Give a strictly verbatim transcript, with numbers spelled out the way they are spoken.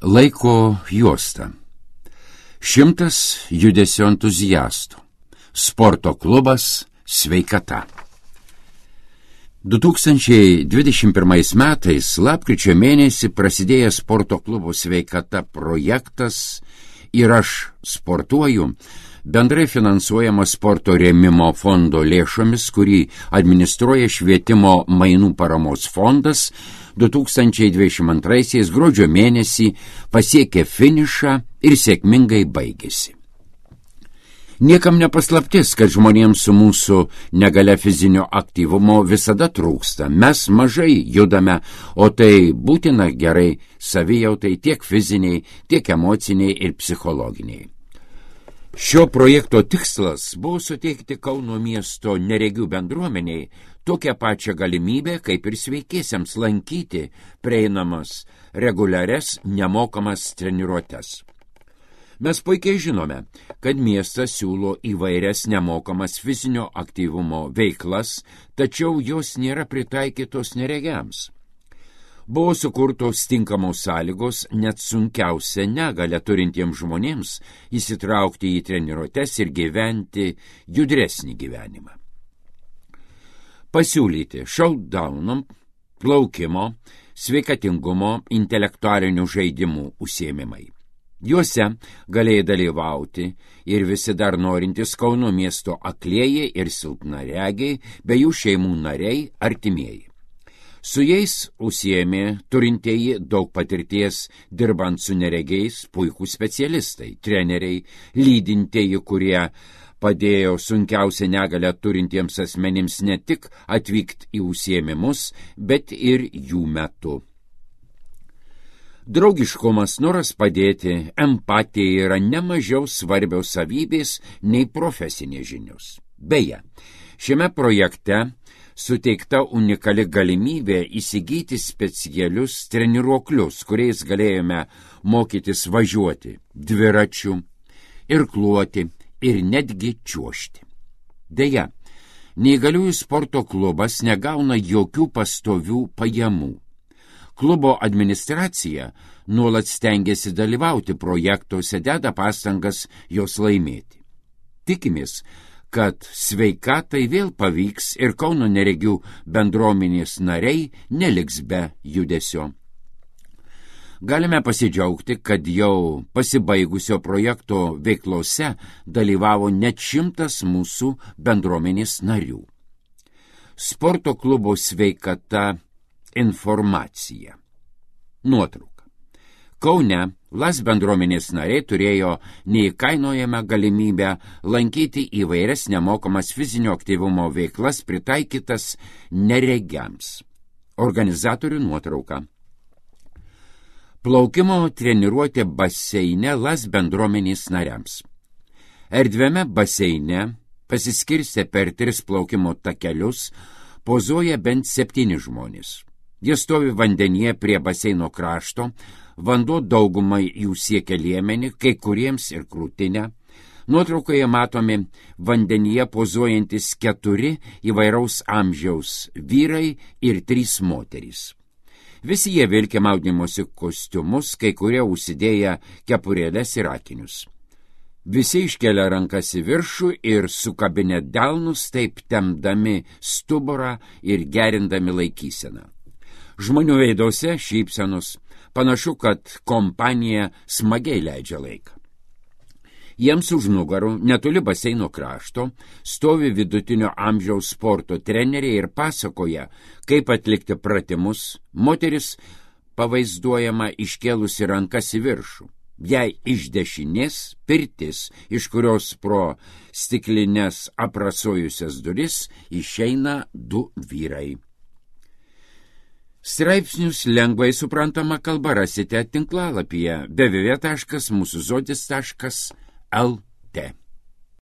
Laiko juosta. Šimtas judesio entuziastų. Sporto klubas Sveikata. du tūkstančiai dvidešimt pirmais metais lapkričio mėnesį prasidėjęs sporto klubo Sveikata projektas ir aš sportuoju, bendrai finansuojama sporto rėmimo fondo lėšomis, kurį administruoja švietimo mainų paramos fondas, du tūkstančiai dvidešimt antraisiais gruodžio mėnesį pasiekė finišą ir sėkmingai baigėsi. Niekam nepaslaptis, kad žmonėms su mūsų negalia fizinio aktyvumo visada trūksta. Mes mažai judame, o tai būtina gerai savijautai tiek fiziniai, tiek emociniai ir psichologiniai. Šio projekto tikslas buvo suteikti Kauno miesto neregių bendruomeniai tokią pačią galimybę, kaip ir sveikiesiems lankyti prieinamas reguliarias nemokamas treniruotes. Mes puikiai žinome, kad miestas siūlo įvairias nemokamas fizinio aktyvumo veiklas, tačiau jos nėra pritaikytos neregiams. Buvo sukurtos tinkamos sąlygos net sunkiausia negalią turintiems žmonėms įsitraukti į treniruotes ir gyventi judresnį gyvenimą. Pasiūlyti šautdaunam, plaukimo, sveikatingumo, intelektualinių žaidimų užsiėmimai. Juose galėjai dalyvauti ir visi dar norintys Kauno miesto aklieji ir silpnaregiai, bei jų šeimų nariai, artimieji. Su jais užsiėmė turintieji daug patirties dirbant su neregiais puikūs specialistai, treneriai, lydintieji, kurie padėjo sunkiausią negalią turintiems asmenims ne tik atvykti į užsiėmimus, bet ir jų metu. Draugiškumas, noras padėti, empatija yra nemažiau svarbios savybės nei profesinės žinios. Beje, šiame projekte suteikta unikali galimybė įsigyti specialius treniruoklius, kuriais galėjome mokytis važiuoti dviračiu, irkluoti ir netgi čiuožti. Deja, neįgaliųjų sporto klubas negauna jokių pastovių pajamų. Klubo administracija nuolat stengiasi dalyvauti projektuose, deda pastangas jos laimėti. Tikimės, kad Sveikatai vėl pavyks ir Kauno neregių bendruomenės nariai neliks be judesio. Galime pasidžiaugti, kad jau pasibaigusio projekto veiklose dalyvavo net šimtas mūsų bendruomenės narių. Sporto klubo Sveikata informacija. Nuotrauka. Kaune Las bendruomenės nariai turėjo neįkainojamą galimybę lankyti įvairias nemokamas fizinio aktyvumo veiklas pritaikytas neregiams. Organizatorių nuotrauka. Plaukimo treniruotė baseine Las bendruomenės nariams. Erdviame baseine pasiskirstę per tris plaukimo takelius pozuoja bent septyni žmonės. Jie stovi vandenyje prie baseino krašto, vanduo daugumai jų siekia liemenį, kai kuriems ir krūtinę. Nuotraukoje matomi vandenyje pozuojantis keturi įvairaus amžiaus vyrai ir trys moterys. Visi jie vilki maudymosi kostiumus, kai kurie užsidėję kepurėles ir akinius. Visi iškelia rankas į viršų ir sukabinę delnus, taip tempdami stuburą ir gerindami laikyseną. Žmonių veiduose šypsenos, panašu, kad kompanija smagiai leidžia laiką. Jiems už nugarų, netoli baseino krašto, stovi vidutinio amžiaus sporto treneriai ir pasakoja, kaip atlikti pratimus. Moteris pavaizduojama iškėlusi rankas į viršų. Jei iš dešinės pirtis, iš kurios pro stiklinės aprasojusias duris išeina du vyrai. Straipsnius lengvai suprantama kalba rasite tinklalapyje w w w taškas mūsų žodis taškas l t.